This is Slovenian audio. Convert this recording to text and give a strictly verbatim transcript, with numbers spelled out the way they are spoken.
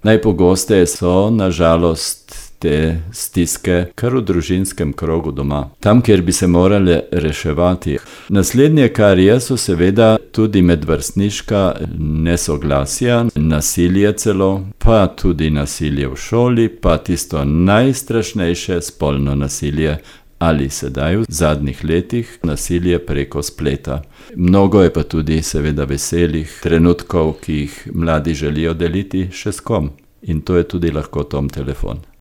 Najpogosteje so, nažalost, te stiske kar v družinskem krogu doma, tam, kjer bi se morale reševati. Naslednje, kar je, so seveda tudi medvrstniška nesoglasja, nasilje celo, pa tudi nasilje v šoli, pa tisto najstrašnejše, spolno nasilje ali sedaj v zadnjih letih nasilje preko spleta. Mnogo je pa tudi seveda veselih trenutkov, ki jih mladi želijo deliti še s kom. In to je tudi lahko Tom telefon.